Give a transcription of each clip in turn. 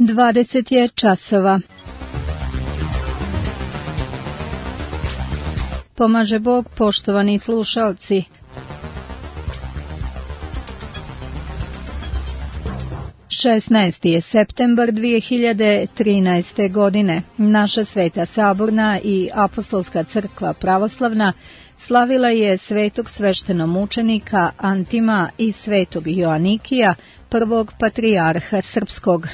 20 je časova. Pomaže Bog, poštovani slušalci. Šesnaesti je septembar 2013. godine. Naša Sveta Saborna i Apostolska crkva pravoslavna slavila je svetog sveštenomučenika Antima i svetog Joanikija, prvog patrijarha srpskog.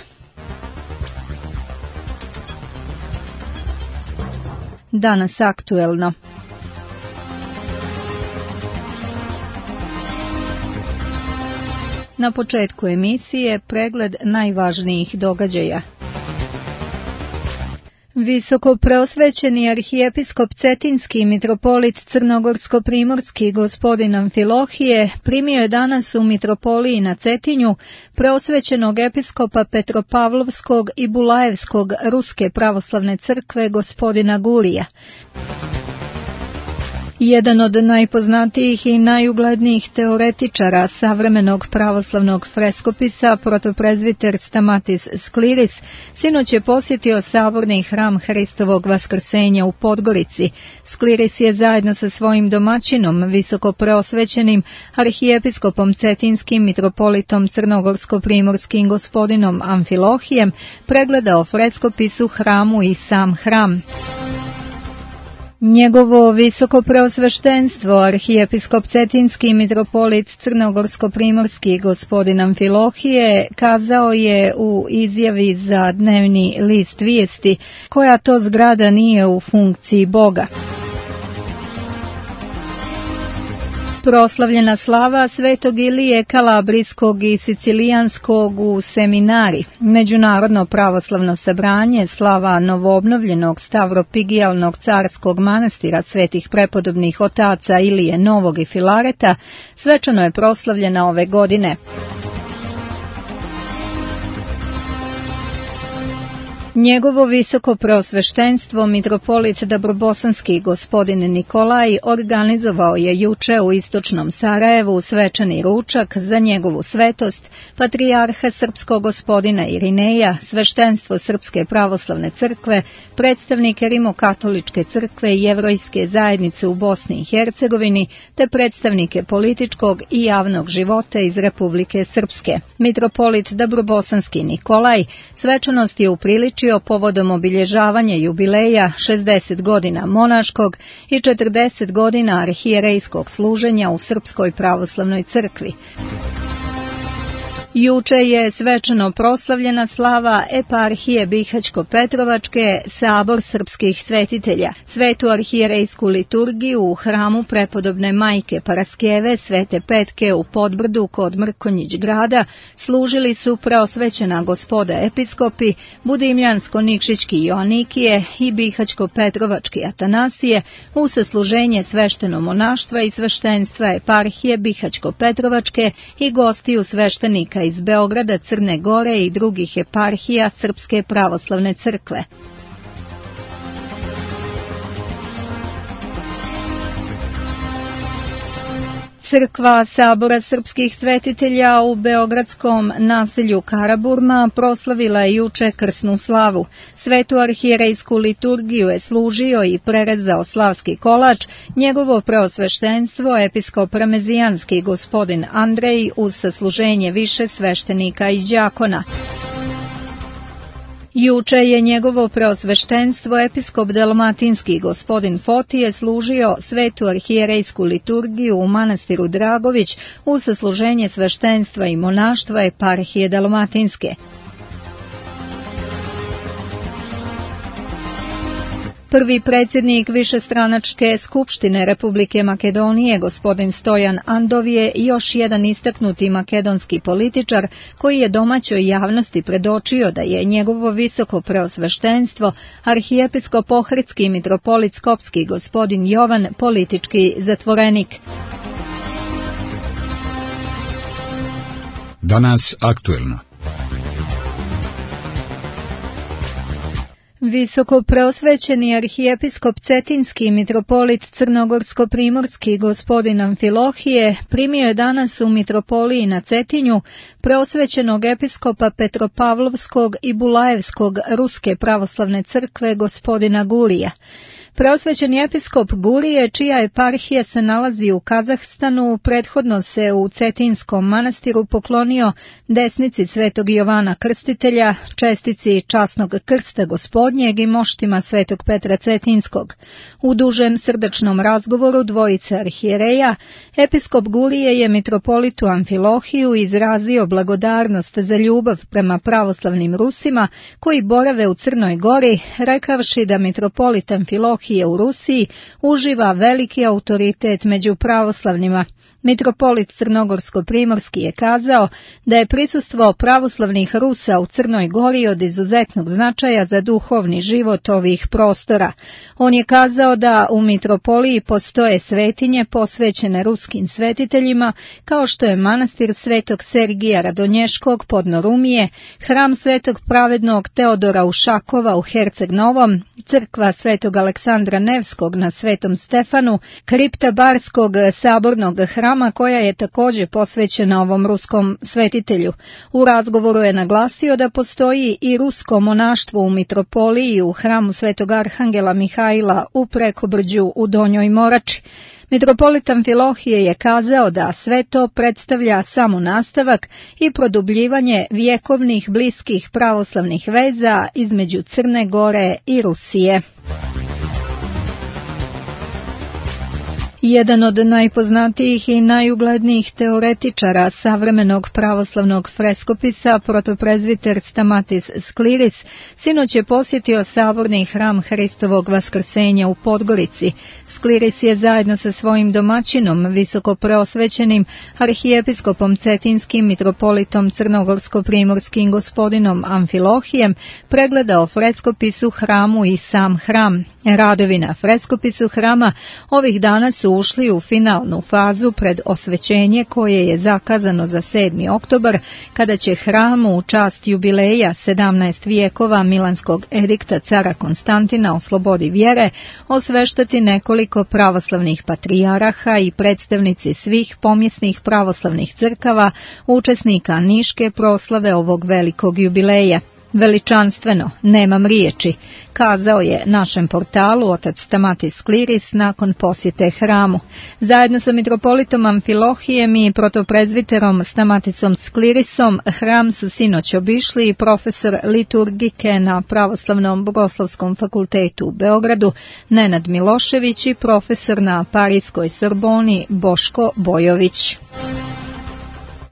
Danas aktuelno. Na početku emisije pregled najvažnijih događaja. Visoko preosvećeni arhijepiskop Cetinski mitropolit Crnogorsko-primorski gospodin Amfilohije primio je danas u mitropoliji na Cetinju preosvećenog episkopa Petropavlovskog i Bulajevskog Ruske pravoslavne crkve gospodina Gurija. Jedan od najpoznatijih i najuglednijih teoretičara savremenog pravoslavnog freskopisa, protoprezviter Stamatis Skliris, sinoć je posjetio saborni hram Hristovog vaskrsenja u Podgorici. Skliris je zajedno sa svojim domaćinom, visoko preosvećenim arhijepiskopom Cetinskim mitropolitom Crnogorsko-primorskim gospodinom Amfilohijem, pregledao freskopis u hramu i sam hram. Njegovo visoko preosveštenstvo, arhijepiskop Cetinski mitropolit Crnogorsko-primorski gospodin Amfilohije, kazao je u izjavi za dnevni list Vijesti, koja to zgrada nije u funkciji Boga. Proslavljena slava svetog Ilije Kalabrijskog i Sicilijanskog u seminari, međunarodno pravoslavno sabranje, slava novoobnovljenog Stavropigijalnog carskog manastira svetih prepodobnih otaca Ilije Novog i Filareta, svečano je proslavljena ove godine. Njegovo visoko preosveštenstvo mitropolit Dabrobosanski gospodin Nikolaj organizovao je juče u istočnom Sarajevu svečani ručak za njegovu svetost, patrijarha srpskog gospodina Irineja, sveštenstvo Srpske pravoslavne crkve, predstavnike Rimokatoličke crkve i jevrejske zajednice u Bosni i Hercegovini, te predstavnike političkog i javnog života iz Republike Srpske. Mitropolit Dabrobosanski Nikolaj svečanost je upriličio povodom obilježavanja jubileja 60 godina monaškog i 40 godina arhijerejskog služenja u Srpskoj pravoslavnoj crkvi. Juče je svečano proslavljena slava eparhije Bihaćko-Petrovačke, sabor srpskih svetitelja. Svetu arhijerejsku liturgiju u hramu prepodobne majke Paraskeve Svete Petke u Podbrdu kod Mrkonjić grada služili su preosvećena gospoda episkopi, Budimljansko-Nikšićki Joanikije i Bihaćko-Petrovački Atanasije u sasluženje svešteno monaštva i sveštenstva eparhije Bihaćko-Petrovačke i gostiju sveštenika iz Beograda, Crne Gore i drugih eparhija Srpske pravoslavne crkve. Crkva sabora srpskih svetitelja u beogradskom naselju Karaburma proslavila je juče krsnu slavu. Svetu arhijerejsku liturgiju je služio i prerezao slavski kolač njegovo preosveštenstvo episkop Ramezijanski gospodin Andrej uz sasluženje više sveštenika i đakona. Juče je njegovo preosveštenstvo episkop Dalmatinski gospodin Fotije služio svetu arhijerejsku liturgiju u manastiru Dragović uz sasluženje sveštenstva i monaštva eparhije Dalmatinske. Prvi predsjednik višestranačke skupštine Republike Makedonije, gospodin Stojan Andov, je još jedan istaknuti makedonski političar koji je domaćoj javnosti predočio da je njegovo visoko preosveštenstvo, arhijepiskop Ohridski mitropolit Skopski gospodin Jovan, politički zatvorenik. Danas aktuelno. Visoko preosvećeni arhijepiskop Cetinski mitropolit Crnogorsko-primorski gospodin Amfilohije primio je danas u mitropoliji na Cetinju preosvećenog episkopa Petropavlovskog i Bulajevskog Ruske pravoslavne crkve gospodina Gurija. Preosvećeni episkop Gurije, čija eparhija se nalazi u Kazahstanu, prethodno se u Cetinskom manastiru poklonio desnici Svetog Jovana Krstitelja, čestici časnog krsta gospodnjeg i moštima Svetog Petra Cetinskog. U dužem srdačnom razgovoru dvojice arhijereja, episkop Gurije je mitropolitu Amfilohiju izrazio blagodarnost za ljubav prema pravoslavnim Rusima koji borave u Crnoj Gori, rekavši da mitropolit Amfilohije u Rusiji uživa veliki autoritet među pravoslavnima. Mitropolit Crnogorsko-primorski je kazao da je prisustvo pravoslavnih Rusa u Crnoj Gori od izuzetnog značaja za duhovni život ovih prostora. On je kazao da u mitropoliji postoje svetinje posvećene ruskim svetiteljima, kao što je manastir Svetog Sergija Radonješkog podno Rumije, hram Svetog pravednog Teodora Ušakova u Herceg Novom, crkva Svetog Aleksandra Nevskog na Svetom Stefanu, kripta Barskog sabornog hrama koja je također posvećena ovom ruskom svetitelju. U razgovoru je naglasio da postoji i rusko monaštvo u mitropoliji u hramu Svetog Arhangela Mihajla u Prekobrđu u Donjoj Morači. Mitropolit Amfilohije je kazao da sve to predstavlja samo nastavak i produbljivanje vjekovnih bliskih pravoslavnih veza između Crne Gore i Rusije. Jedan od najpoznatijih i najuglednijih teoretičara savremenog pravoslavnog freskopisa, protoprezviter Stamatis Skliris, sinoć je posjetio saborni hram Hristovog vaskrsenja u Podgorici. Skliris je zajedno sa svojim domaćinom, visoko preosvećenim arhijepiskopom Cetinskim mitropolitom Crnogorsko-primorskim gospodinom Amfilohijem pregledao freskopis u hramu i sam hram. Radovi na freskopisu hrama ovih dana su ušli u finalnu fazu pred osvećenje koje je zakazano za 7. oktobar, kada će hram u čast jubileja 17 vijekova Milanskog edikta cara Konstantina o slobodi vjere osveštati nekoliko pravoslavnih patrijaraha i predstavnici svih pomjesnih pravoslavnih crkava, učesnika Niške proslave ovog velikog jubileja. Veličanstveno, nemam riječi, kazao je našem portalu otac Stamatis Skliris nakon posjete hramu. Zajedno sa mitropolitom Amfilohijem i protoprezviterom Stamatisom Sklirisom hram su sinoć obišli i profesor liturgike na Pravoslavnom bogoslovskom fakultetu u Beogradu Nenad Milošević i profesor na Parijskoj Sorboni Boško Bojović.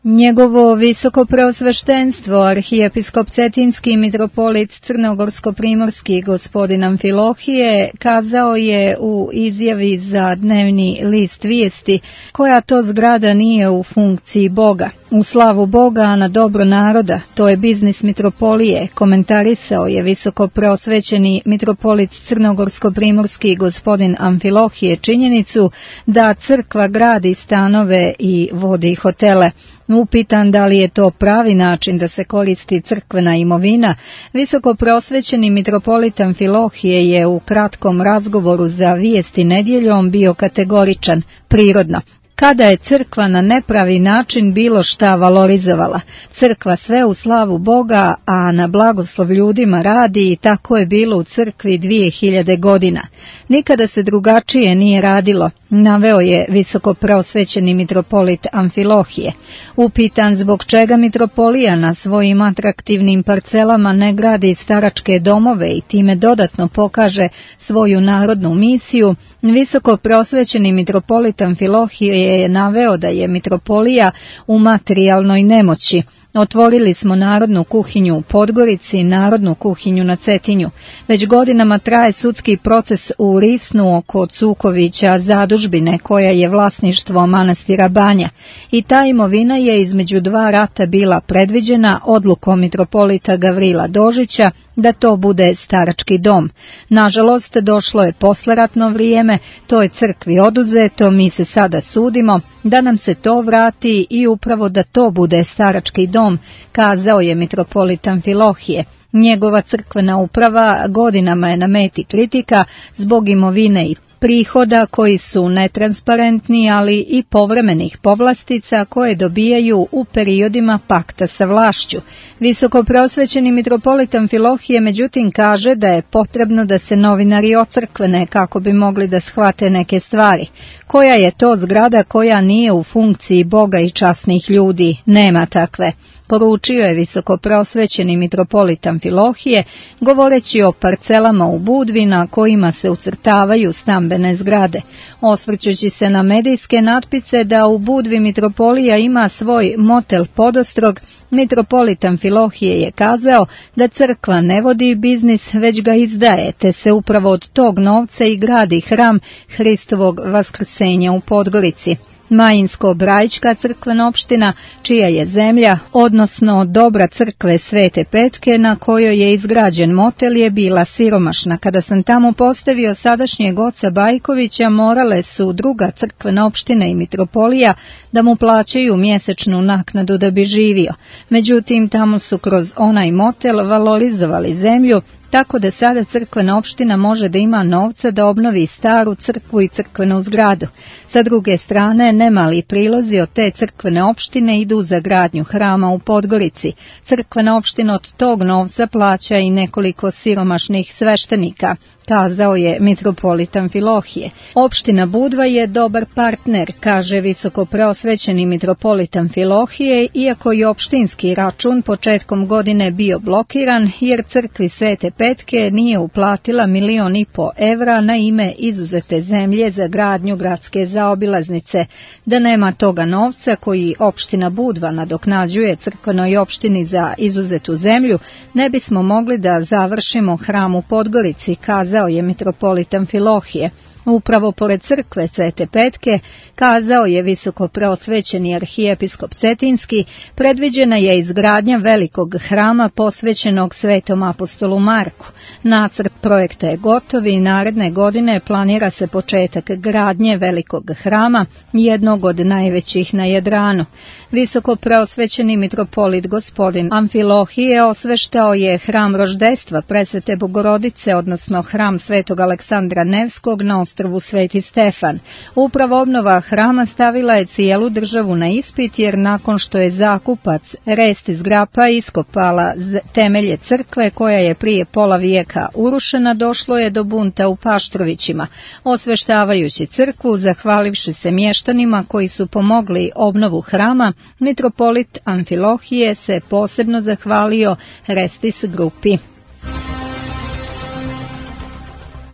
Njegovo visoko preosveštenstvo, arhijepiskop Cetinski mitropolit Crnogorsko-primorski gospodin Amfilohije, kazao je u izjavi za dnevni list Vijesti koja to zgrada nije u funkciji Boga. U slavu Boga, a na dobro naroda, to je biznis mitropolije, komentarisao je visoko preosvećeni mitropolit Crnogorsko-primorski gospodin Amfilohije činjenicu da crkva gradi stanove i vodi hotele. Upitan da li je to pravi način da se koristi crkvena imovina, visoko preosvećeni mitropolit Amfilohije je u kratkom razgovoru za Vijesti nedjeljom bio kategoričan, prirodno. Kada je crkva na nepravi način bilo šta valorizovala, crkva sve u slavu Boga, a na blagoslov ljudima radi i tako je bilo u crkvi 2000 godina. Nikada se drugačije nije radilo, naveo je visoko preosvećeni mitropolit Amfilohije. Upitan zbog čega mitropolija na svojim atraktivnim parcelama ne gradi staračke domove i time dodatno pokaže svoju narodnu misiju, visoko preosvećeni mitropolit Amfilohije je naveo da je mitropolija u materijalnoj nemoći. Otvorili smo narodnu kuhinju u Podgorici, narodnu kuhinju na Cetinju. Već godinama traje sudski proces u Risnu oko Cukovića zadužbine koja je vlasništvo manastira Banja. I ta imovina je između dva rata bila predviđena odlukom mitropolita Gavrila Dožića da to bude starački dom. Nažalost, došlo je posleratno vrijeme, to je crkvi oduzeto, mi se sada sudimo da nam se to vrati i upravo da to bude starački dom, kazao je mitropolit Amfilohije. Njegova crkvena uprava godinama je na meti kritika zbog imovine i prihoda koji su netransparentni, ali i povremenih povlastica koje dobijaju u periodima pakta sa vlašću. Visokoprosvećeni mitropolit Amfilohije međutim kaže da je potrebno da se novinari ocrkvene kako bi mogli da shvate neke stvari. Koja je to zgrada koja nije u funkciji Boga i časnih ljudi? Nema takve. Poručio je visokoprosvećeni mitropolit Amfilohije, govoreći o parcelama u Budvi na kojima se ucrtavaju stambene zgrade. Osvrćući se na medijske natpise da u Budvi mitropolija ima svoj motel podostrog, mitropolit Amfilohije je kazao da crkva ne vodi biznis, već ga izdaje, te se upravo od tog novca i gradi hram Hristovog vaskrsenja u Podgorici. Majinsko-Brajička crkvena opština, čija je zemlja, odnosno dobra crkve Svete Petke na kojoj je izgrađen motel, je bila siromašna. Kada sam tamo postavio sadašnjeg oca Bajkovića, morale su druga crkvena opština i mitropolija da mu plaćaju mjesečnu naknadu da bi živio. Međutim, tamo su kroz onaj motel valorizovali zemlju, tako da sada crkvena opština može da ima novca da obnovi staru crkvu i crkvenu zgradu. Sa druge strane, nemali prilozi od te crkvene opštine idu za gradnju hrama u Podgorici. Crkvena opština od tog novca plaća i nekoliko siromašnih sveštenika, kazao je mitropolit Amfilohije. Opština Budva je dobar partner, kaže visokopreosvećeni mitropolit Amfilohije, iako je opštinski račun početkom godine bio blokiran jer crkvi Svete Petke nije uplatila 1,5 miliona evra na ime izuzete zemlje za gradnju gradske zaobilaznice. Da nema toga novca koji opština Budva nadoknađuje crkvenoj opštini za izuzetu zemlju, ne bismo mogli da završimo hram u Podgorici, kazao je mitropolit Amfilohije. Upravo pored crkve Svete Petke, kazao je visokopreosvećeni arhijepiskop Cetinski, predviđena je izgradnja velikog hrama posvećenog Svetom apostolu Marku. Nacrt projekta je gotov i naredne godine planira se početak gradnje velikog hrama, jednog od najvećih na Jadranu. Visokopreosvećeni mitropolit gospodin Amfilohije osveštao je hram roždestva Presvete Bogorodice, odnosno hram Svetog Aleksandra Nevskog na ostrvu Sveti Stefan. Upravo obnova hrama stavila je cijelu državu na ispit, jer nakon što je zakupac Restis Grapa iskopala temelje crkve koja je prije pola vijeka urušena, došlo je do bunta u Paštrovićima. Osveštavajući crkvu, zahvalivši se mještanima koji su pomogli obnovu hrama, mitropolit Amfilohije se posebno zahvalio Restis grupi.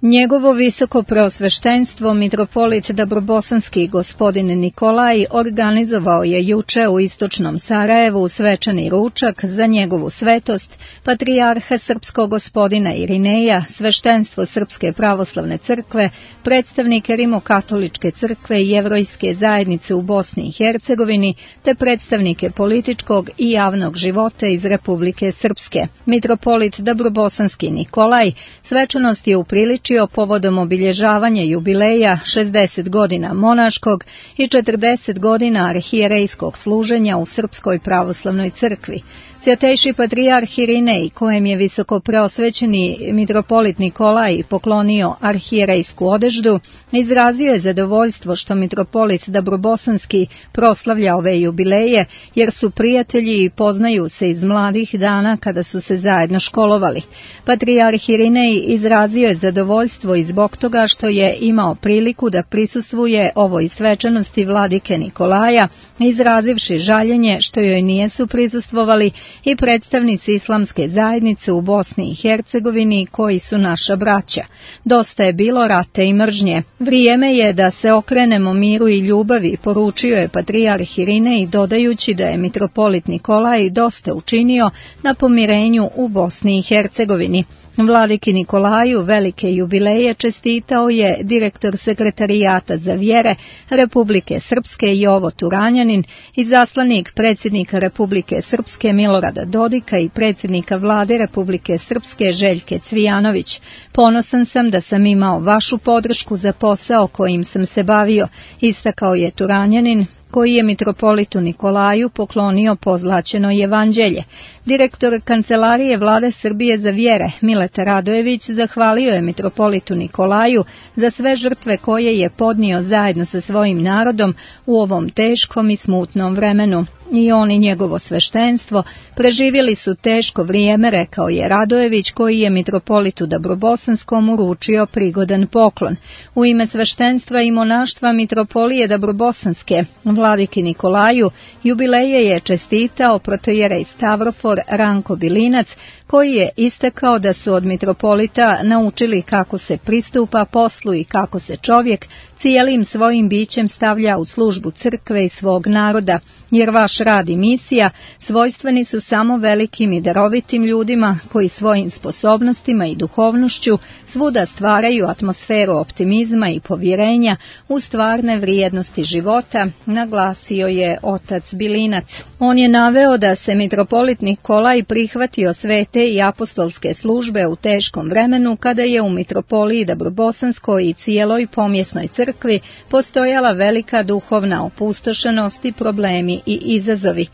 Njegovo visoko preosveštenstvo mitropolit Dabrobosanski gospodin Nikolaj organizovao je juče u istočnom Sarajevu svečani ručak za njegovu svetost, patrijarha srpskog gospodina Irineja, sveštenstvo Srpske pravoslavne crkve, predstavnike Rimokatoličke crkve i Jevrejske zajednice u Bosni i Hercegovini, te predstavnike političkog i javnog života iz Republike Srpske. Mitropolit Dabrobosanski Nikolaj svečanost je upriličio povodom obilježavanja jubileja 60 godina monaškog i 40 godina arhijerejskog služenja u Srpskoj pravoslavnoj crkvi. Svjatejši patrijarh Irinej, kojem je visoko preosvećeni mitropolit Nikolaj poklonio arhijerejsku odeždu, izrazio je zadovoljstvo što mitropolit Dabrobosanski proslavlja ove jubileje, jer su prijatelji i poznaju se iz mladih dana kada su se zajedno školovali. Patrijarh Irinej izrazio je zadovoljstvo i zbog toga što je imao priliku da prisustvuje ovoj svečanosti vladike Nikolaja, izrazivši žaljenje što joj nijesu prisustvovali i predstavnici islamske zajednice u Bosni i Hercegovini koji su naša braća. Dosta je bilo rata i mržnje. Vrijeme je da se okrenemo miru i ljubavi, poručio je patrijarh Irinej, dodajući da je mitropolit Nikolaj dosta učinio na pomirenju u Bosni i Hercegovini. Vladiki Nikolaju velike jubileje čestitao je direktor sekretarijata za vjere Republike Srpske Jovo Turanjanin, izaslanik predsjednika Republike Srpske Milorada Dodika i predsjednika vlade Republike Srpske Željke Cvijanović. Ponosan sam da sam imao vašu podršku za posao kojim sam se bavio, istakao je Turanjanin, koji je mitropolitu Nikolaju poklonio pozlaćeno evanđelje. Direktor Kancelarije Vlade Srbije za vjere, Mileta Radojević, zahvalio je mitropolitu Nikolaju za sve žrtve koje je podnio zajedno sa svojim narodom u ovom teškom i smutnom vremenu. I on i njegovo sveštenstvo preživjeli su teško vrijeme, rekao je Radojević, koji je mitropolitu Dabrobosanskom uručio prigodan poklon. U ime sveštenstva i monaštva mitropolije Dabrobosanske, vladiki Nikolaju, jubileje je čestitao protojerej Stavrofor Ranko Bilinac, koji je istakao da su od mitropolita naučili kako se pristupa poslu i kako se čovjek cijelim svojim bićem stavlja u službu crkve i svog naroda, jer vaš rad i misija svojstveni su samo velikim i darovitim ljudima koji svojim sposobnostima i duhovnošću svuda stvaraju atmosferu optimizma i povjerenja u stvarne vrijednosti života, naglasio je otac Bilinac. On je naveo da se mitropolit Nikolaj prihvatio svete i apostolske službe u teškom vremenu kada je u mitropoliji Dabrobosanskoj i cijeloj pomjesnoj crkvi postojala velika duhovna opustošenost i problemi i izazovi.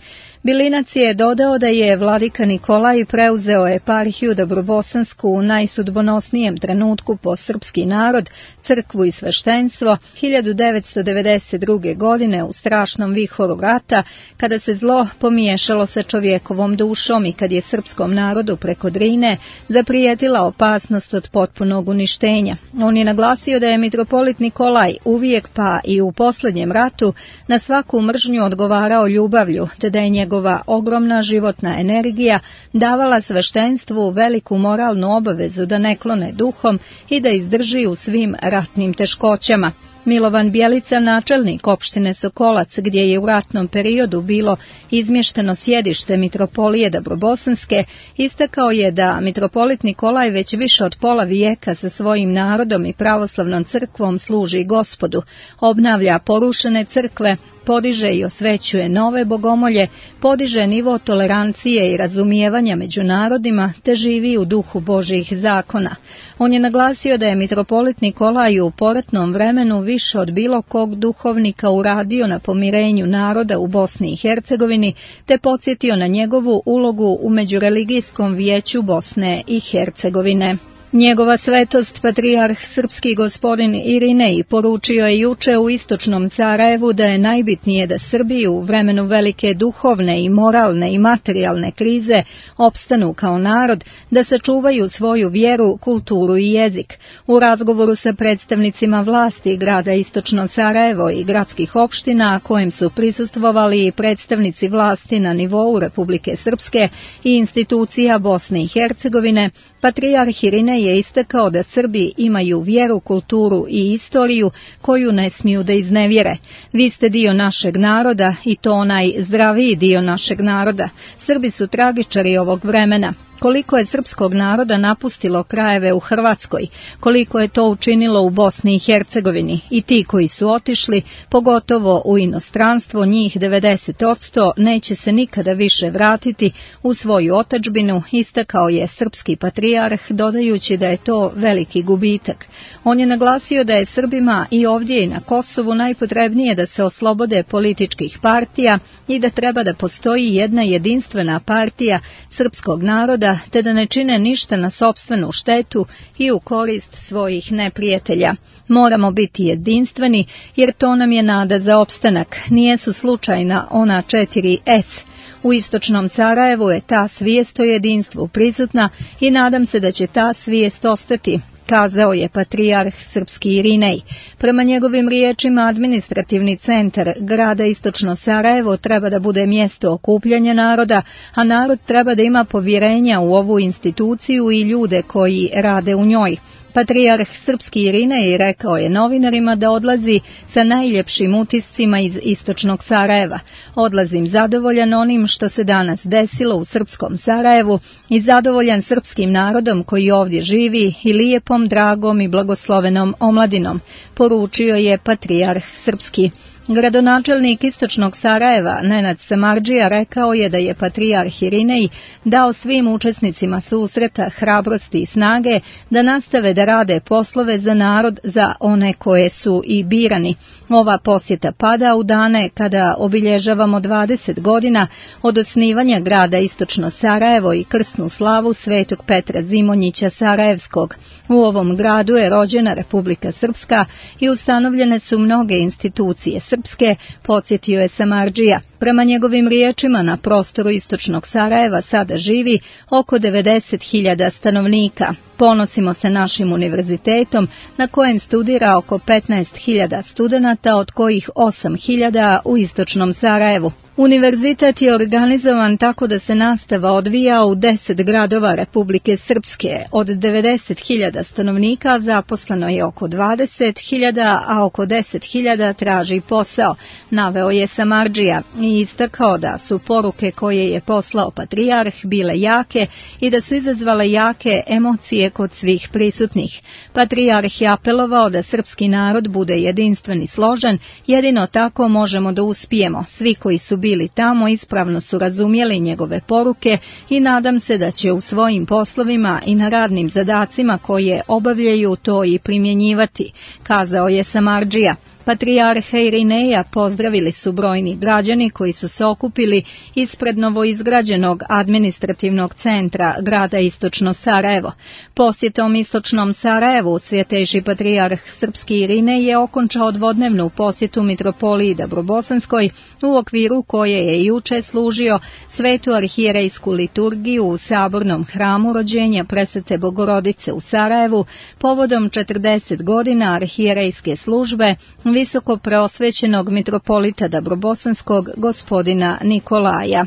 Bilinac je dodao da je vladika Nikolaj preuzeo eparhiju Dabrobosansku u najsudbonosnijem trenutku po srpski narod, crkvu i sveštenstvo 1992. godine u strašnom vihoru rata, kada se zlo pomiješalo sa čovjekovom dušom i kad je srpskom narodu preko Drine zaprijetila opasnost od potpunog uništenja. On je naglasio da je mitropolit Nikolaj uvijek pa i u posljednjem ratu na svaku mržnju odgovarao ljubavlju, te da je njegova ogromna životna energija davala sveštenstvu veliku moralnu obavezu da ne klone duhom i da izdrži u svim ratnim teškoćama. Milovan Bjelica, načelnik opštine Sokolac, gdje je u ratnom periodu bilo izmješteno sjedište mitropolije Dabrobosanske, istakao je da mitropolit Nikolaj već više od pola vijeka sa svojim narodom i pravoslavnom crkvom služi Gospodu, obnavlja porušene crkve, podiže i osvećuje nove bogomolje, podiže nivo tolerancije i razumijevanja među narodima, te živi u duhu Božjih zakona. On je naglasio da je mitropolit Nikolaj u poratnom vremenu više od bilo kog duhovnika uradio na pomirenju naroda u Bosni i Hercegovini, te podsjetio na njegovu ulogu u Međureligijskom vijeću Bosne i Hercegovine. Njegova svetost, patrijarh srpski gospodin Irinej, poručio je juče u istočnom Sarajevu da je najbitnije da Srbi u vremenu velike duhovne i moralne i materijalne krize opstanu kao narod, da sačuvaju svoju vjeru, kulturu i jezik. U razgovoru sa predstavnicima vlasti grada Istočno Sarajevo i gradskih opština, kojem su prisustvovali i predstavnici vlasti na nivou Republike Srpske i institucija Bosne i Hercegovine, patrijarh Irinej je istakao da Srbi imaju vjeru, kulturu i istoriju koju ne smiju da iznevjere. Vi ste dio našeg naroda i to onaj zdraviji dio našeg naroda. Srbi su tragičari ovog vremena. Koliko je srpskog naroda napustilo krajeve u Hrvatskoj, koliko je to učinilo u Bosni i Hercegovini, i ti koji su otišli, pogotovo u inostranstvo, njih 90%, neće se nikada više vratiti u svoju otadžbinu, istakao je srpski patrijarh, dodajući da je to veliki gubitak. On je naglasio da je Srbima i ovdje i na Kosovu najpotrebnije da se oslobode političkih partija i da treba da postoji jedna jedinstvena partija srpskog naroda, te da ne čine ništa na sopstvenu štetu i u korist svojih neprijatelja. Moramo biti jedinstveni, jer to nam je nada za opstanak. Nijesu slučajna ona 4 S. U istočnom Sarajevu je ta svijest o jedinstvu prisutna i nadam se da će ta svijest ostati, kazao je patrijarh srpski Irinej. Prema njegovim riječima, administrativni centar grada Istočno Sarajevo treba da bude mjesto okupljanja naroda, a narod treba da ima povjerenja u ovu instituciju i ljude koji rade u njoj. Patrijarh srpski Irinej rekao je novinarima da odlazi sa najljepšim utiscima iz istočnog Sarajeva. Odlazim zadovoljan onim što se danas desilo u srpskom Sarajevu i zadovoljan srpskim narodom koji ovdje živi i lijepom, dragom i blagoslovenom omladinom, poručio je patrijarh srpski. Gradonačelnik istočnog Sarajeva, Nenad Samardžija, rekao je da je patrijarh Irinej dao svim učesnicima susreta hrabrosti i snage da nastave da rade poslove za narod, za one koje su i birani. Ova posjeta pada u dane kada obilježavamo 20 godina od osnivanja grada Istočno Sarajevo i krsnu slavu Svetog Petra Zimonjića Sarajevskog. U ovom gradu je rođena Republika Srpska i ustanovljene su mnoge institucije srpske, podsjetio je Samardžija. Prema njegovim riječima, na prostoru istočnog Sarajeva sada živi oko 90.000 stanovnika. Ponosimo se našim univerzitetom na kojem studira oko 15.000 studenata, od kojih 8.000 u istočnom Sarajevu. Univerzitet je organizovan tako da se nastava odvija u 10 gradova Republike Srpske. Od 90.000 stanovnika zaposleno je oko 20.000, a oko 10.000 traži posao, naveo je Samardžija i istakao da su poruke koje je poslao patrijarh bile jake i da su izazvale jake emocije kod svih prisutnih. Patrijarh je apelovao da srpski narod bude jedinstven i složen, jedino tako možemo da uspijemo. Svi koji su bili tamo ispravno su razumjeli njegove poruke i nadam se da će u svojim poslovima i na radnim zadacima koje obavljaju to i primjenjivati, kazao je Samardžija. Patrijarha Irineja pozdravili su brojni građani koji su se okupili ispred novoizgrađenog administrativnog centra grada Istočno Sarajevo. Posjetom Istočnom Sarajevu Svjetejši patrijarh Srpski Irinej je okončao dvodnevnu posjetu mitropoliji Dabrobosanskoj, u okviru koje je juče služio svetu arhijerejsku liturgiju u sabornom hramu rođenja Presvete Bogorodice u Sarajevu povodom 40 godina arhijerejske službe visoko preosvećenog mitropolita Dabrobosanskog gospodina Nikolaja.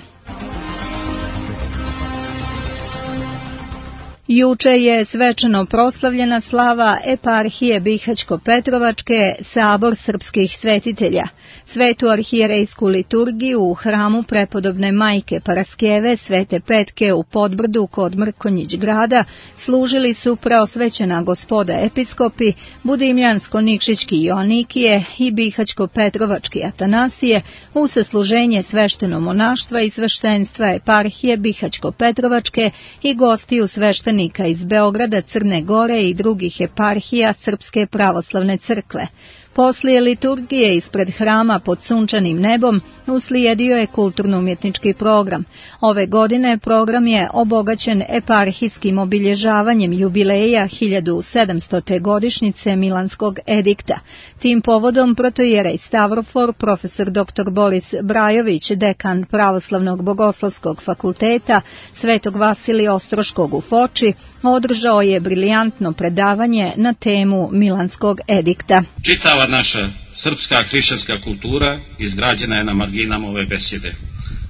Juče je svečano proslavljena slava eparhije Bihać-Petrovačke, sabor srpskih svetitelja. Svetu arhijerejsku liturgiju u hramu prepodobne majke Paraskeve Svete Petke u Podbrdu kod Mrkonjić grada služili su preosvećena gospoda episkopi, Budimljansko-Nikšićki Joanikije i Bihać-Petrovački Atanasije u sasluženje svešteno monaštva i sveštenstva eparhije Bihać-Petrovačke i gostiju sveštenika iz Beograda, Crne Gore i drugih eparhija Srpske pravoslavne crkve. Poslije liturgije ispred hrama pod sunčanim nebom uslijedio je kulturno-umjetnički program. Ove godine program je obogaćen eparhijskim obilježavanjem jubileja 1700. godišnjice Milanskog edikta. Tim povodom protoijerej Stavrofor, profesor dr. Boris Brajović, dekan Pravoslavnog bogoslovskog fakulteta Svetog Vasilija Ostroškog u Foči, održao je briljantno predavanje na temu Milanskog edikta. Čitava naša srpska hrišćanska kultura izgrađena je na marginama ove besjede.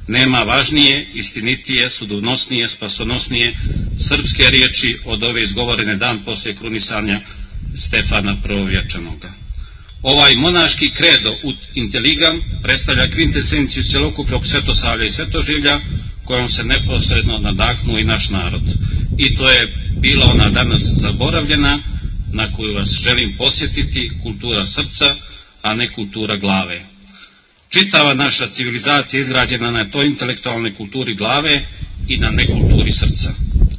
Nema važnije, istinitije, sudbonosnije, spasonosnije srpske riječi od ove izgovorene dan poslije krunisanja Stefana Prvovječanoga. Ovaj monaški kredo ut intelligam predstavlja kvintesenciju cjelokupnog svetosavlja i svetoživlja kojom se neposredno nadahnuo i naš narod. I to je bila ona danas zaboravljena, na koju vas želim posjetiti, kultura srca, a ne kultura glave. Čitava naša civilizacija izgrađena na toj intelektualnoj kulturi glave i na nekulturi srca.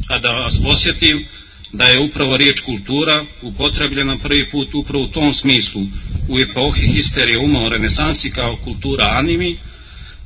A da vas posjetim da je upravo riječ kultura upotrebljena prvi put upravo u tom smislu u epohi histerije uma u renesansi kao kultura animi,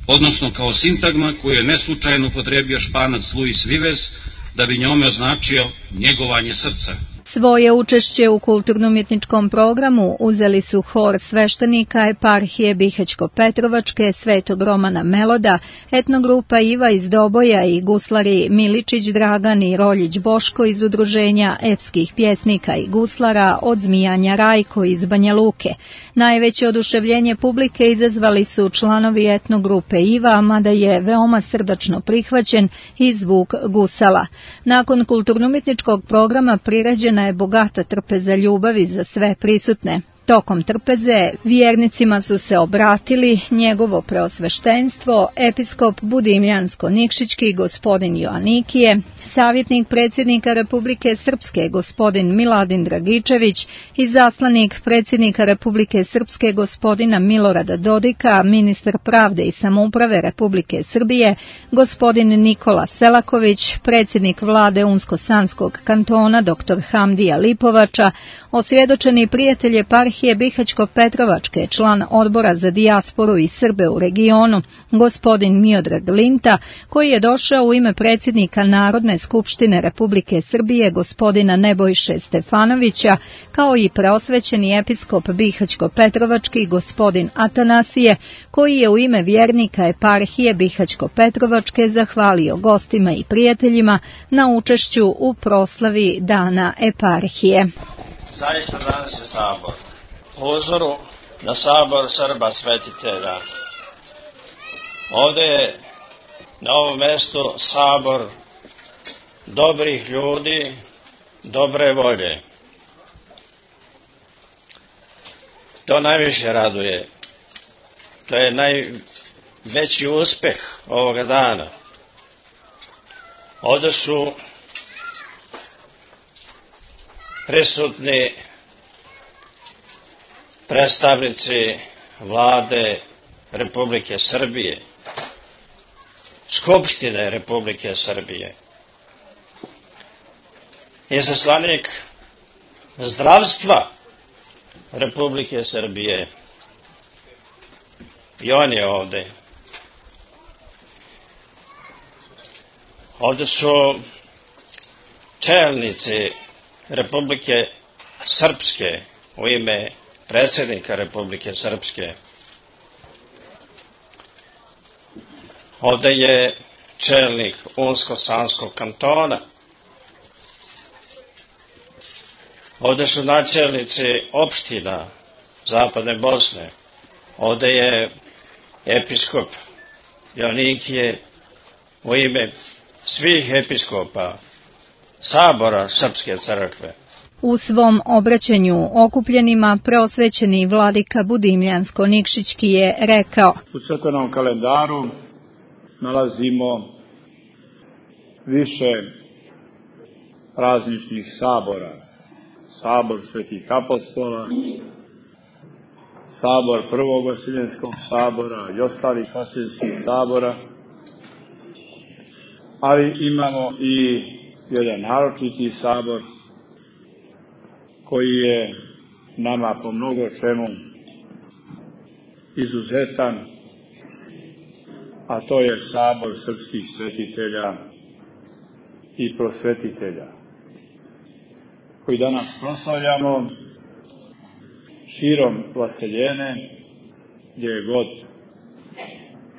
odnosno kao sintagma koju je neslučajno upotrebio Španac Luis Vives da bi njome označio njegovanje srca. Svoje učešće u kulturno-umjetničkom programu uzeli su hor sveštenika eparhije Bihać-Petrovačke Svetog Romana Meloda, etnogrupa Iva iz Doboja i guslari Miličić Dragan i Roljić Boško iz udruženja epskih pjesnika i guslara od Zmijanja Rajko iz Banja Luke. Najveće oduševljenje publike izazvali su članovi etnogrupe Iva, mada je veoma srdačno prihvaćen i zvuk gusala. Nakon kulturno-umjetničkog programa priređena je bogata trpeza ljubavi za sve prisutne. Tokom trpeze vjernicima su se obratili njegovo preosveštenstvo, episkop Budimljansko-Nikšićki gospodin Joanikije, savjetnik predsjednika Republike Srpske gospodin Miladin Dragičević, izaslanik predsjednika Republike Srpske gospodina Milorada Dodika, ministar pravde i samouprave Republike Srbije gospodin Nikola Selaković, predsjednik vlade Unsko-Sanskog kantona dr. Hamdija Lipovača, osvjedočeni prijatelj eparhije Bihaćko-Petrovačke, član odbora za dijasporu i Srbe u regionu, gospodin Miodrag Linta, koji je došao u ime predsjednika Narodne skupštine Republike Srbije gospodina Nebojše Stefanovića, kao i preosvećeni episkop Bihaćko-Petrovački gospodin Atanasije, koji je u ime vjernika eparhije Bihaćko-Petrovačke zahvalio gostima i prijateljima na učešću u proslavi Dana eparhije. Zaista danas je sabor. Po uzoru na sabor Srba svetitelja. Ovdje je na ovom mjestu sabor dobrih ljudi, dobre volje. To najviše raduje. To je najveći uspjeh ovoga dana. Ovdje su prisutni predstavnici vlade Republike Srbije, Skupštine Republike Srbije, izaslanik zdravstva Republike Srbije, i on je ovdje. Ovdje su čelnici Republike Srpske u ime predsjednika Republike Srpske. Ovdje je čelnik Unsko-Sanskog kantona. Ovdje su načelnici opština Zapadne Bosne. Ovdje je episkop Joanikije u ime svih episkopa Sabora Srpske crkve. U svom obraćanju okupljenima preosvećeni vladika Budimljansko-Nikšićki je rekao: U crkvenom kalendaru nalazimo više prazničnih sabora. Sabor svetih apostola, sabor prvog Vasiljenskog sabora i ostalih vasiljenskih sabora, ali imamo i jedan naročiti sabor koji je nama po mnogo čemu izuzetan, a to je sabor srpskih svetitelja i prosvetitelja, koji danas proslavljamo širom Vaseljene, gdje je god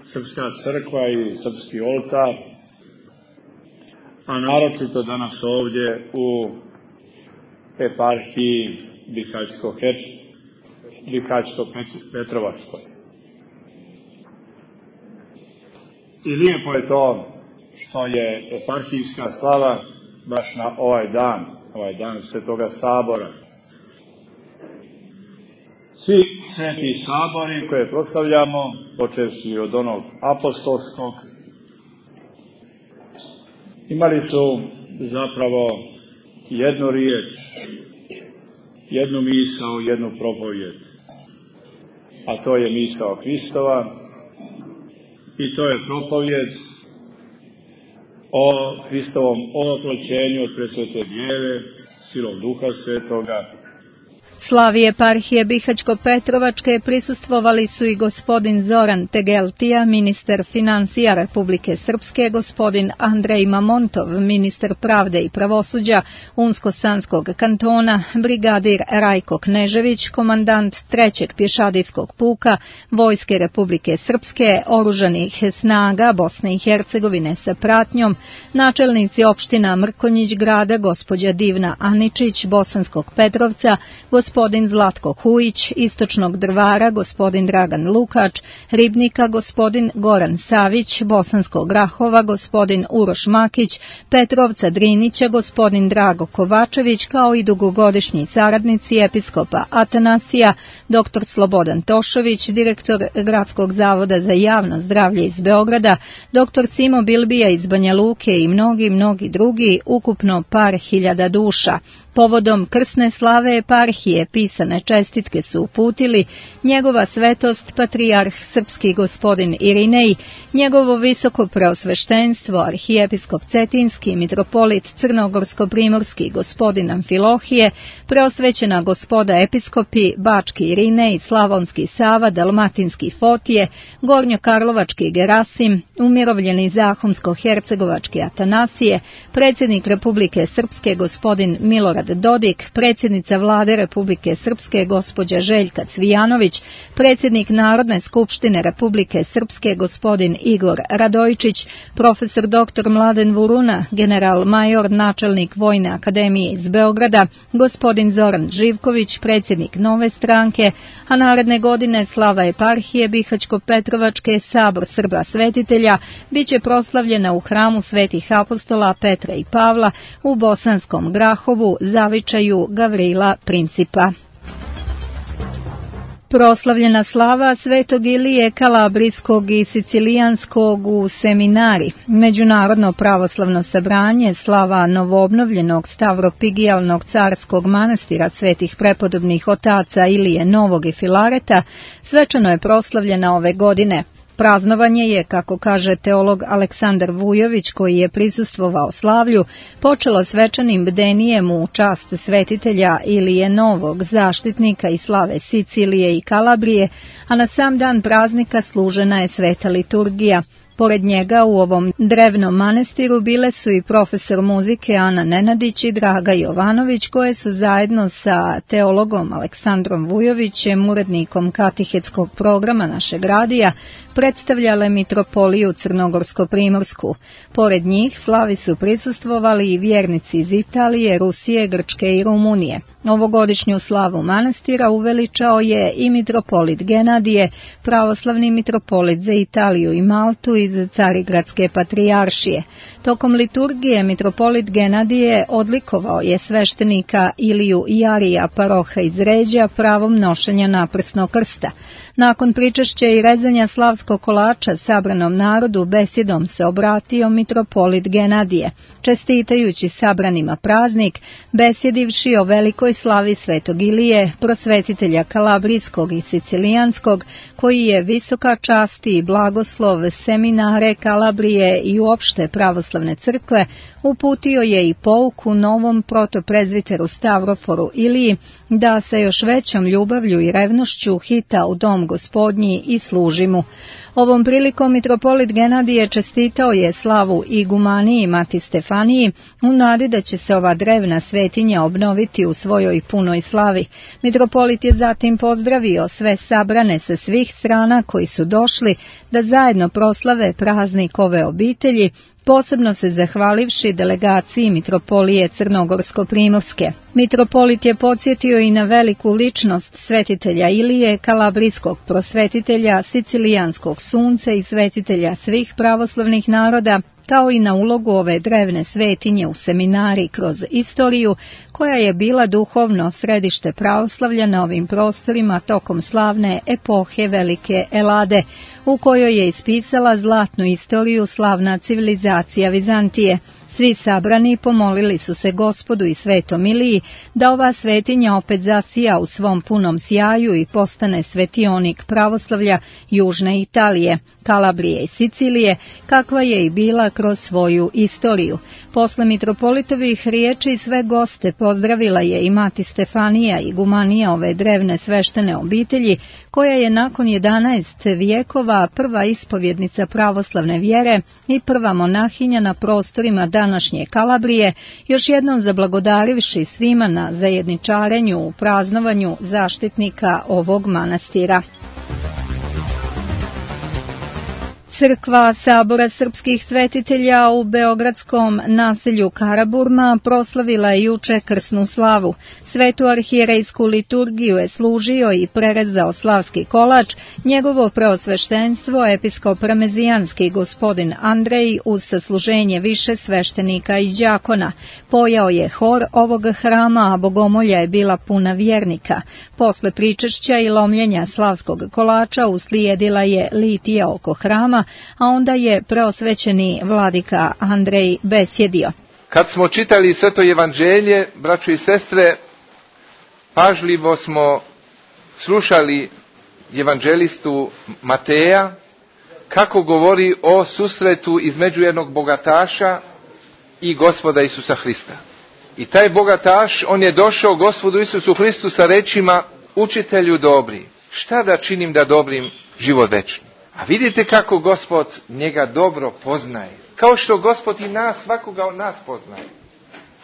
srpska crkva i srpski oltar, a naročito danas ovdje u eparhiji Bihaćko-Petrovačkoj. I lijepo je to što je eparhijska slava baš na ovaj dan Svetoga sabora. Svi sveti sabori koje proslavljamo, počevši od onog apostolskog, imali su zapravo jednu riječ, jednu misao, jednu propovijed, a to je misao Hristova i to je propovijed o Hristovom ovoploćenju od presvete Djeve, silom Duha Svetoga. Slavi eparhije Bihaćko-Petrovačke prisustvovali su i gospodin Zoran Tegeltija, ministar financija Republike Srpske, gospodin Andrej Mamontov, ministar pravde i pravosuđa Unsko-Sanskog kantona, brigadir Rajko Knežević, komandant 3. pješadijskog puka Vojske Republike Srpske, oružanih snaga Bosne i Hercegovine sa pratnjom, načelnici opština Mrkonjić grada, gospođa Divna Aničić, Bosanskog Petrovca, gospodin gospodin Zlatko Hujić, Istočnog Drvara gospodin Dragan Lukač, Ribnika gospodin Goran Savić, Bosanskog Grahova gospodin Uroš Makić, Petrovca Drinića gospodin Drago Kovačević, kao i dugogodišnji saradnici episkopa Atanasija, dr. Slobodan Tošović, direktor Gradskog zavoda za javno zdravlje iz Beograda, dr. Simo Bilbija iz Banja Luke i mnogi drugi, ukupno par hiljada duša. Povodom krsne slave eparhije pisane čestitke su uputili njegova svetost patrijarh srpski gospodin Irinej, njegovo visoko preosveštenstvo arhijepiskop Cetinski, mitropolit Crnogorsko-primorski gospodin Amfilohije, preosvećena gospoda episkopi Bački Irinej, Slavonski Sava, Dalmatinski Fotije, Gornjokarlovački Gerasim, umirovljeni Zahumsko-hercegovački Atanasije, predsjednik Republike Srpske gospodin Milorad Dodik, predsjednica Vlade Republike Srpske gospođa Željka Cvijanović, predsjednik Narodne skupštine Republike Srpske gospodin Igor Radojičić, profesor dr. Mladen Vuruna, general major načelnik Vojne akademije iz Beograda, gospodin Zoran Živković, predsjednik Nove stranke, a naredne godine slava eparhije Bihaćko-Petrovačke sabor Srba svetitelja biće proslavljena u hramu svetih apostola Petra i Pavla u Bosanskom Grahovu, zavičaju Gavrila Principa. Proslavljena slava Svetog Ilije Kalabrijskog i Sicilijanskog u Seminari, Međunarodno pravoslavno sabranje, slava novoobnovljenog Stavropigijalnog carskog manastira svetih prepodobnih otaca Ilije Novog i Filareta, svečano je proslavljena ove godine. Praznovanje je, kako kaže teolog Aleksandar Vujović, koji je prisustvovao slavlju, počelo svečanim bdenijem u čast svetitelja Ilije Novog, zaštitnika i slave Sicilije i Kalabrije, a na sam dan praznika služena je sveta liturgija. Pored njega u ovom drevnom manestiru bile su i profesor muzike Ana Nenadić i Draga Jovanović, koje su zajedno sa teologom Aleksandrom Vujovićem, urednikom katehetskog programa našeg radija, predstavljale mitropoliju Crnogorsko-primorsku. Pored njih slavi su prisustvovali i vjernici iz Italije, Rusije, Grčke i Rumunije. Ovogodišnju slavu manastira uveličao je i mitropolit Genadije, pravoslavni mitropolit za Italiju i Maltu iz Carigradske patrijaršije. Tokom liturgije mitropolit Genadije odlikovao je sveštenika Iliju Jarija, paroha iz Ređa, pravom nošenja naprsnog krsta. Nakon pričešća i rezanja slavskog kolača sabranom narodu besjedom se obratio mitropolit Genadije, čestitajući sabranima praznik, besjedivši o velikoj slavi Svetog Ilije, prosvetitelja Kalabrijskog i Sicilijanskog, koji je visoka čast i blagoslov Seminare Kalabrije i uopšte pravoslavne crkve, uputio je i pouku novom protoprezviteru Stavroforu Iliji da sa još većom ljubavlju i revnošću hita u dom Gospodnji i služi mu. Ovom prilikom mitropolit Genadije čestitao je slavu igumaniji Mati Stefaniji u nadi da će se ova drevna svetinja obnoviti u svojoj punoj slavi. Mitropolit je zatim pozdravio sve sabrane sa svih strana koji su došli da zajedno proslave praznik ove obitelji, posebno se zahvalivši delegaciji mitropolije Crnogorsko-primorske. Mitropolit je podsjetio i na veliku ličnost svetitelja Ilije, kalabrijskog prosvetitelja, sicilijanskog sunca i svetitelja svih pravoslavnih naroda, kao i na ulogu ove drevne svetinje u seminari kroz istoriju, koja je bila duhovno središte pravoslavlja na ovim prostorima tokom slavne epohe Velike Elade, u kojoj je ispisala zlatnu istoriju slavna civilizacija Vizantije. Svi sabrani pomolili su se Gospodu i Svetom Iliji da ova svetinja opet zasija u svom punom sjaju i postane svetionik pravoslavlja južne Italije, Kalabrije i Sicilije, kakva je i bila kroz svoju istoriju. Posle mitropolitovih riječi sve goste pozdravila je i Mati Stefanija, igumanija ove drevne sveštene obitelji, koja je nakon 11 vijekova prva ispovjednica pravoslavne vjere i prva monahinja na prostorima današnje Kalabrije, još jednom zablagodarivši svima na zajedničarenju u praznovanju zaštitnika ovog manastira. Crkva Sabora srpskih svetitelja u beogradskom naselju Karaburma proslavila je juče krsnu slavu. Svetu arhijerejsku liturgiju je služio i prerezao slavski kolač njegovo preosveštenstvo episkop ramezijanski gospodin Andrej uz sasluženje više sveštenika i đakona. Pojao je hor ovog hrama, a bogomolja je bila puna vjernika. Posle pričešća i lomljenja slavskog kolača uslijedila je litija oko hrama, a onda je preosvećeni vladika Andrej besjedio. Kad smo čitali Sveto evanđelje, braćo i sestre, pažljivo smo slušali evanđelistu Mateja kako govori o susretu između jednog bogataša i Gospoda Isusa Hrista. I taj bogataš, on je došao Gospodu Isusu Hristu sa rečima: učitelju dobri, šta da činim da dobrim život večni? A vidite kako Gospod njega dobro poznaje. Kao što Gospod i nas, svakoga od nas poznaje.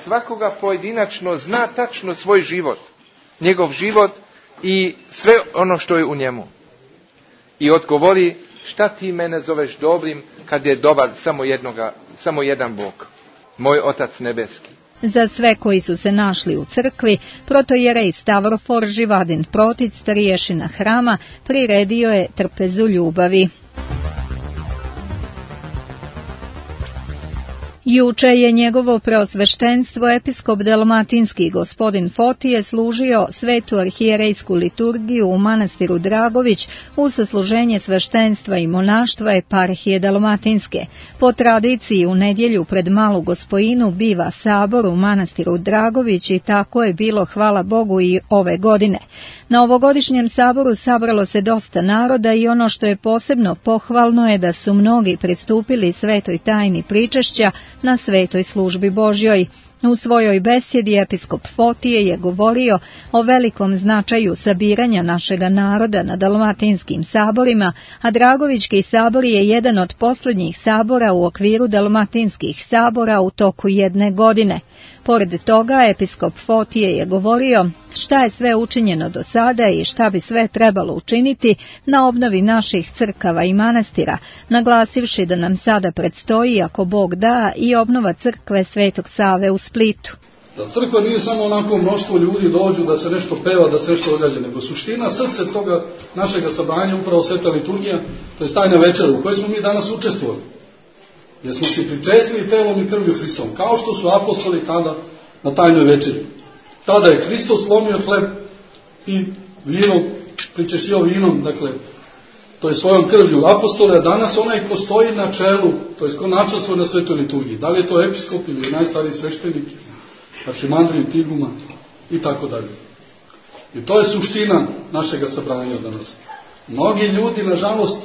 Svakoga pojedinačno zna tačno svoj život, njegov život i sve ono što je u njemu. I odgovori: šta ti mene zoveš dobrim kad je dobar samo jedan Bog, moj Otac nebeski. Za sve koji su se našli u crkvi, protojerej Stavrofor Živadin Protic, starješina hrama, priredio je trpezu ljubavi. Juče je njegovo preosveštenstvo episkop dalmatinski gospodin Fotije služio svetu arhijerejsku liturgiju u manastiru Dragović uz sasluženje sveštenstva i monaštva eparhije dalmatinske. Po tradiciji u nedjelju pred Malu Gospojinu biva sabor u manastiru Dragović i tako je bilo, hvala Bogu, i ove godine. Na ovogodišnjem saboru sabralo se dosta naroda i ono što je posebno pohvalno je da su mnogi pristupili svetoj tajni pričešća na svetoj službi Božjoj. U svojoj besjedi episkop Fotije je govorio o velikom značaju sabiranja našega naroda na dalmatinskim saborima, a Dragovićki sabor je jedan od posljednjih sabora u okviru dalmatinskih sabora u toku jedne godine. Pored toga, episkop Fotije je govorio šta je sve učinjeno do sada i šta bi sve trebalo učiniti na obnovi naših crkava i manastira, naglasivši da nam sada predstoji, ako Bog da, i obnova crkve Svetog Save u Splitu. Da crkva nije samo onako mnoštvo ljudi dođu da se nešto peva, da se nešto događa, nego suština, srce toga našega sabranja upravo sveta liturgija, to je tajna večera u kojoj smo mi danas učestvovali. Jer smo se pričesili telom i krvlju Hristovom, kao što su apostoli tada na tajnoj večeri. Tada je Hristos slomio hleb i vino, pričešio vinom, dakle, to je svojom krvlju apostole, a danas onaj ko stoji na čelu, to je ko načelstvo na svetoj liturgiji, da li je to episkop ili najstariji sveštenik, arhimandrij Tiguma i tako dalje. I to je suština našega sabranja danas. Mnogi ljudi, nažalost,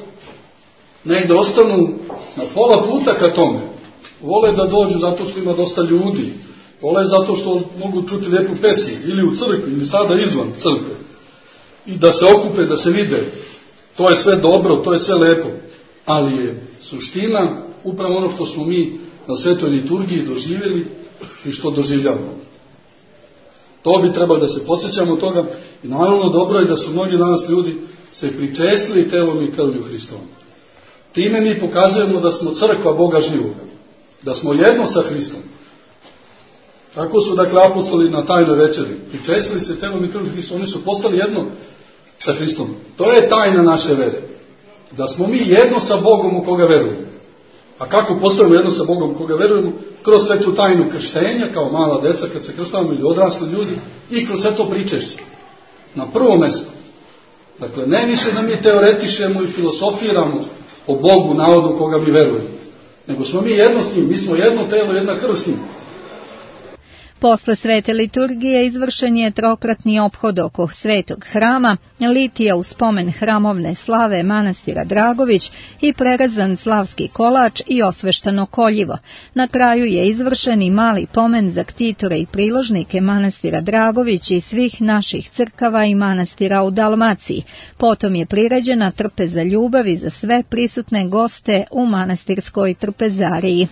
negde ostanu na pola puta ka tome. Vole da dođu zato što ima dosta ljudi. Vole zato što mogu čuti lijepu pesmu. Ili u crkvi, ili sada izvan crkve. I da se okupe, da se vide. To je sve dobro, to je sve lepo. Ali je suština upravo ono što smo mi na svetoj liturgiji doživjeli i što doživljavamo. To bi trebalo da se podsjećamo toga. I naravno dobro je da su mnogi danas ljudi se pričestili telom i krvlju Hristovom. Time mi pokazujemo da smo crkva Boga živoga, da smo jedno sa Hristom. Tako su, dakle, apostoli na tajnoj večeri pričestili se telom i krvlju Hristom, oni su postali jedno sa Hristom. To je tajna naše vere, da smo mi jedno sa Bogom u koga verujemo. A kako postajemo jedno sa Bogom u koga verujemo? Kroz svetu tajnu krštenja, kao mala deca kad se krštavamo, ili odrasli ljudi, i kroz sve to pričešće. Na prvo mesto. Dakle, ne više da mi teoretišemo i filosofiramo o Bogu navodno koga mi verujemo, nego smo mi jedno s njim, mi smo jedno telo, jedna krv s njim. Posle svete liturgije izvršen je trokratni ophod oko svetog hrama, litija u spomen hramovne slave manastira Dragović i prerezan slavski kolač i osveštano koljivo. Na kraju je izvršen i mali pomen za ktitore i priložnike manastira Dragović i svih naših crkava i manastira u Dalmaciji. Potom je priređena trpeza ljubavi za sve prisutne goste u manastirskoj trpezariji.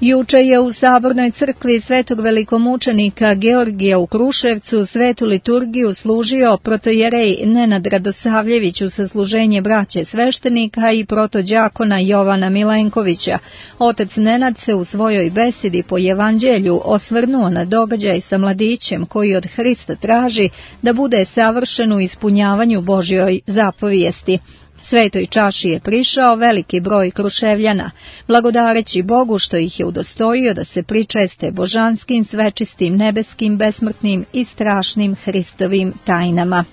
Juče je u Sabornoj crkvi Svetog velikomučenika Georgija u Kruševcu svetu liturgiju služio protojerej Nenad Radosavljević u sasluženje braće sveštenika i protođakona Jovana Milenkovića. Otac Nenad se u svojoj besedi po evanđelju osvrnuo na događaj sa mladićem koji od Hrista traži da bude savršen u ispunjavanju Božjoj zapovijesti. Svetoj čaši je prišao veliki broj Kruševljana, blagodareći Bogu što ih je udostojio da se pričeste božanskim, svečistim, nebeskim, besmrtnim i strašnim Hristovim tajnama.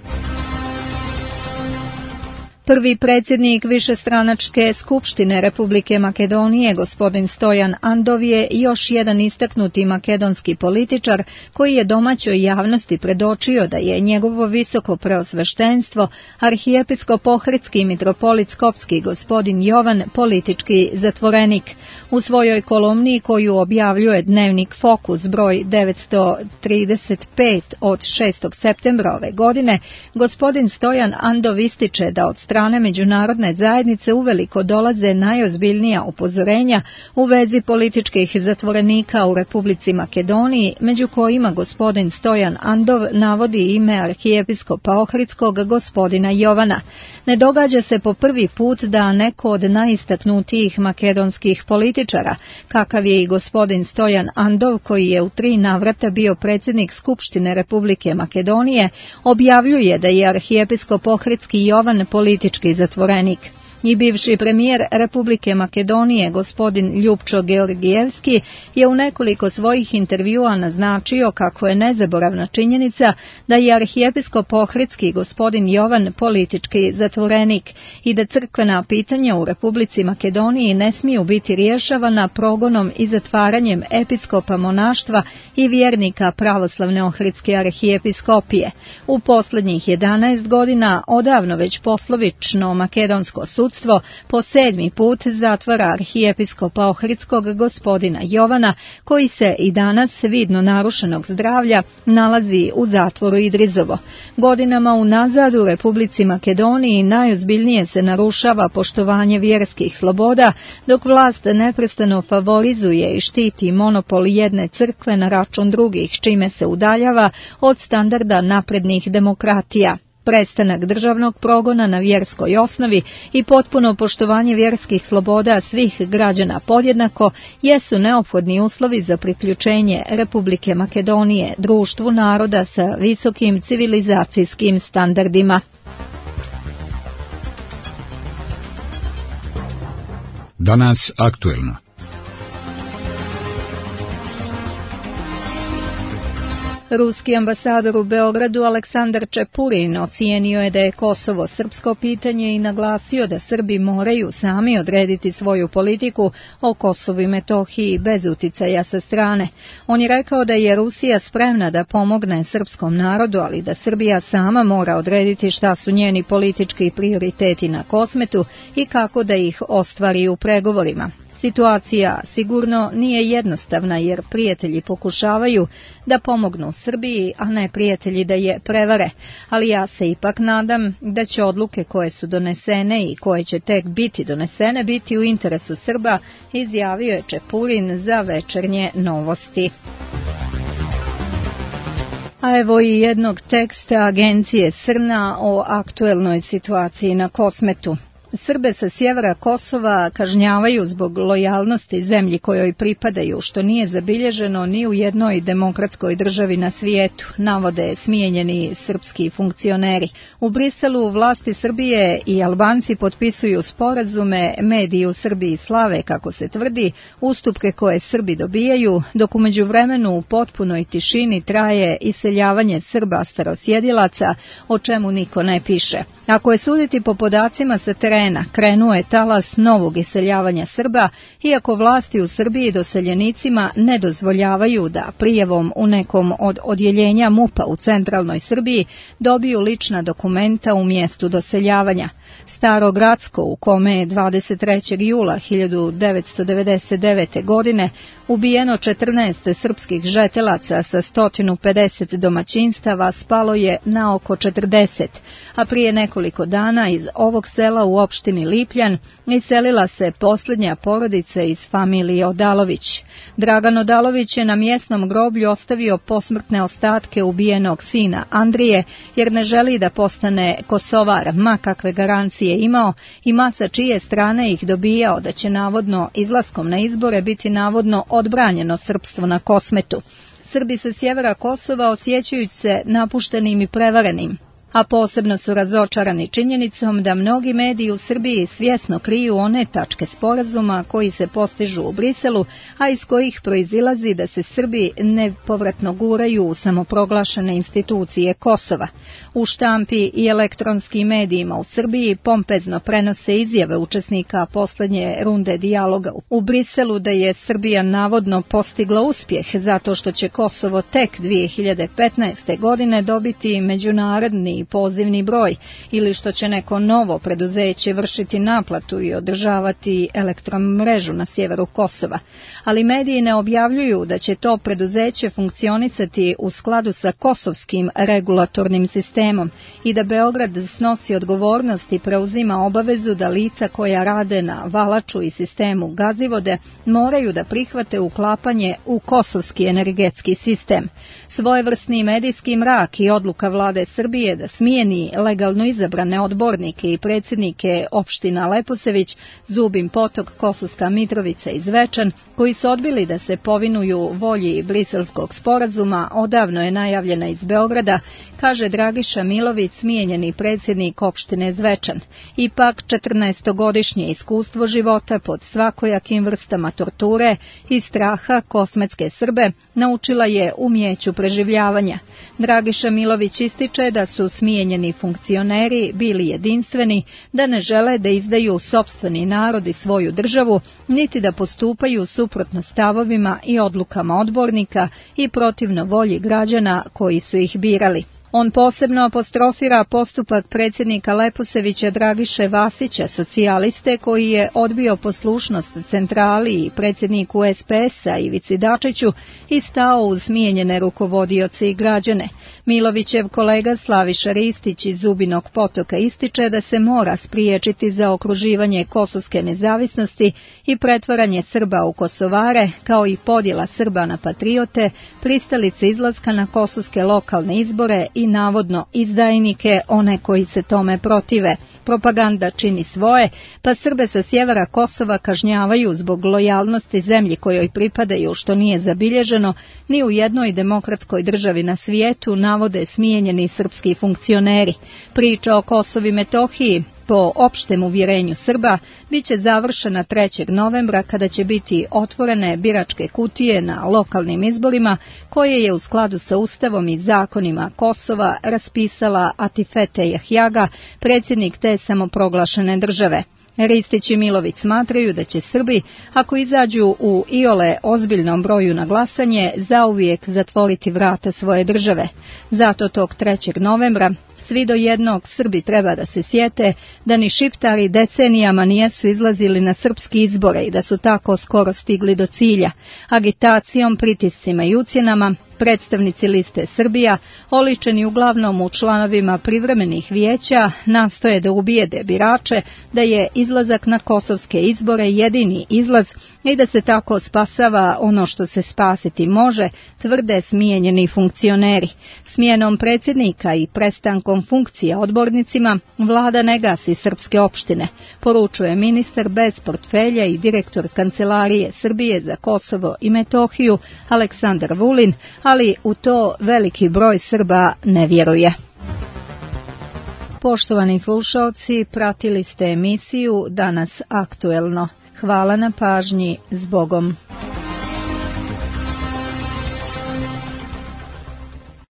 Prvi predsjednik višestranačke skupštine Republike Makedonije, gospodin Stojan Andov, je još jedan istaknuti makedonski političar koji je domaćoj javnosti predočio da je njegovo visoko preosveštenstvo, arhijepiskop ohridski mitropolit Skopski gospodin Jovan politički zatvorenik. U svojoj kolumni koju objavljuje dnevnik Fokus broj 935 od 6. septembra ove godine, gospodin Stojan Andov ističe da od strane međunarodne zajednice uveliko dolaze najozbiljnija upozorenja u vezi političkih zatvorenika u Republici Makedoniji, među kojima gospodin Stojan Andov navodi ime arhijepiskopa ohridskog gospodina Jovana. Ne događa se po prvi put da neko od najistaknutijih makedonskih političara, kakav je i gospodin Stojan Andov, koji je u 3 navrata bio predsjednik Skupštine Republike Makedonije, objavljuje da je arhijepiskop ohridski Jovan politički zatvorenik. I bivši premijer Republike Makedonije, gospodin Ljupčo Georgijevski, je u nekoliko svojih intervjua naznačio kako je nezaboravna činjenica da je arhijepiskop ohridski gospodin Jovan politički zatvorenik i da crkvena pitanja u Republici Makedoniji ne smiju biti rješavana progonom i zatvaranjem episkopa monaštva i vjernika pravoslavne ohridske arhijepiskopije. U posljednjih 11 godina odavno već poslovično makedonsko sudstvo po 7. put zatvara arhijepiskopa ohridskog gospodina Jovana, koji se i danas vidno narušenog zdravlja nalazi u zatvoru Idrizovo. Godinama unazad u Republici Makedoniji najozbiljnije se narušava poštovanje vjerskih sloboda, dok vlast neprestano favorizuje i štiti monopol jedne crkve na račun drugih, čime se udaljava od standarda naprednih demokratija. Prestanak državnog progona na vjerskoj osnovi i potpuno poštovanje vjerskih sloboda svih građana podjednako jesu neophodni uslovi za priključenje Republike Makedonije društvu naroda sa visokim civilizacijskim standardima. Danas aktuelno. Ruski ambasador u Beogradu Aleksandar Čepurin ocijenio je da je Kosovo srpsko pitanje i naglasio da Srbi moraju sami odrediti svoju politiku o Kosovu i Metohiji bez uticaja sa strane. On je rekao da je Rusija spremna da pomogne srpskom narodu, ali da Srbija sama mora odrediti šta su njeni politički prioriteti na Kosmetu i kako da ih ostvari u pregovorima. Situacija sigurno nije jednostavna jer prijatelji pokušavaju da pomognu Srbiji, a ne prijatelji da je prevare, ali ja se ipak nadam da će odluke koje su donesene i koje će tek biti donesene biti u interesu Srba, izjavio je Čepurin za Večernje novosti. A evo i jednog teksta agencije Srna o aktuelnoj situaciji na Kosmetu. Srbe sa sjevera Kosova kažnjavaju zbog lojalnosti zemlji kojoj pripadaju, što nije zabilježeno ni u jednoj demokratskoj državi na svijetu, navode smijenjeni srpski funkcioneri. U Briselu vlasti Srbije i Albanci potpisuju sporazume, mediji u Srbiji slave, kako se tvrdi, ustupke koje Srbi dobijaju, dok u međuvremenu u potpunoj tišini traje iseljavanje Srba starosjedilaca, o čemu niko ne piše. Ako je suditi po podacima sa terena, krenuo je talas novog iseljavanja Srba, iako vlasti u Srbiji doseljenicima ne dozvoljavaju da prijavom u nekom od odjeljenja MUP-a u centralnoj Srbiji dobiju lična dokumenta u mjestu doseljavanja. Staro Gradsko, u kome je 23. jula 1999. godine ubijeno 14 srpskih žetelaca sa 150 domaćinstava, spalo je na oko 40, a prije nekoliko dana iz ovog sela u opštini opštini Lipljan iselila se posljednja porodica iz familije Odalović. Dragan Odalović je na mjesnom groblju ostavio posmrtne ostatke ubijenog sina Andrije, jer ne želi da postane Kosovar, ma kakve garancije imao i ma sa čije strane ih dobijao da će navodno izlaskom na izbore biti navodno odbranjeno srpstvo na Kosmetu. Srbi sa sjevera Kosova osjećaju se napuštenim i prevarenim, a posebno su razočarani činjenicom da mnogi mediji u Srbiji svjesno kriju one tačke sporazuma koji se postižu u Briselu, a iz kojih proizilazi da se Srbi nepovratno guraju u samoproglašene institucije Kosova. U štampi i elektronskim medijima u Srbiji pompezno prenose izjave učesnika posljednje runde dijaloga u Briselu da je Srbija navodno postigla uspjeh zato što će Kosovo tek 2015. godine dobiti međunarodni pozivni broj ili što će neko novo preduzeće vršiti naplatu i održavati elektromrežu na sjeveru Kosova. Ali mediji ne objavljuju da će to preduzeće funkcionisati u skladu sa kosovskim regulatornim sistemom i da Beograd snosi odgovornost i preuzima obavezu da lica koja rade na valaču i sistemu Gazivode moraju da prihvate uklapanje u kosovski energetski sistem. Svojevrsni medijski mrak i odluka vlade Srbije da smijeni legalno izabrane odbornike i predsjednike opština Leposević, Zubin Potok, Kosovska Mitrovica i Zvečan, koji su odbili da se povinuju volji briselskog sporazuma, odavno je najavljena iz Beograda, kaže Dragiša Milović, smijenjeni predsjednik opštine Zvečan. Ipak 14-godišnje iskustvo života pod svakojakim vrstama torture i straha kosmetske Srbe naučila je umijeću preživljavanja. Dragiša Milović ističe da su smijenjeni funkcioneri bili jedinstveni, da ne žele da izdaju sopstveni narod i svoju državu, niti da postupaju suprotno stavovima i odlukama odbornika i protivno volji građana koji su ih birali. On posebno apostrofira postupak predsjednika Leposevića Dragiše Vasića, socijaliste, koji je odbio poslušnost centrali i predsjedniku SPS-a Ivici Dačiću i stao uz smijenjene rukovodioce i građane. Milovićev kolega Slaviša Ristić iz Zubinog Potoka ističe da se mora spriječiti zaokruživanje kosovske nezavisnosti i pretvaranje Srba u Kosovare, kao i podjela Srba na patriote, pristalice izlaska na kosovske lokalne izbore i navodno izdajnike, one koji se tome protive. Propaganda čini svoje, pa Srbe sa sjevera Kosova kažnjavaju zbog lojalnosti zemlji kojoj pripadaju, što nije zabilježeno ni u jednoj demokratskoj državi na svijetu, navode smijenjeni srpski funkcioneri. Priča o Kosovu i Metohiji, po opštem uvjerenju Srba, bit će završena 3. novembra kada će biti otvorene biračke kutije na lokalnim izborima koje je u skladu sa Ustavom i zakonima Kosova raspisala Atifete Jahjaga, predsjednik te samoproglašene države. Ristić i Milović smatraju da će Srbi, ako izađu u iole ozbiljnom broju na glasanje, zauvijek zatvoriti vrata svoje države. Zato tog 3. novembra svi do jednog Srbi treba da se sjete da ni Šiptari decenijama nijesu izlazili na srpski izbore i da su tako skoro stigli do cilja. Agitacijom, pritiscima i ucjenama predstavnici liste Srbija, oličeni uglavnom u članovima privremenih vijeća, nastoje da ubijede birače da je izlazak na kosovske izbore jedini izlaz i da se tako spasava ono što se spasiti može, tvrde smijenjeni funkcioneri. Smjenom predsjednika i prestankom funkcija odbornicima vlada ne gasi srpske opštine, poručuje ministar bez portfelja i direktor Kancelarije Srbije za Kosovo i Metohiju Aleksandar Vulin, ali u to veliki broj Srba ne vjeruje. Poštovani slušalci, pratili ste emisiju Danas aktuelno. Hvala na pažnji, zbogom.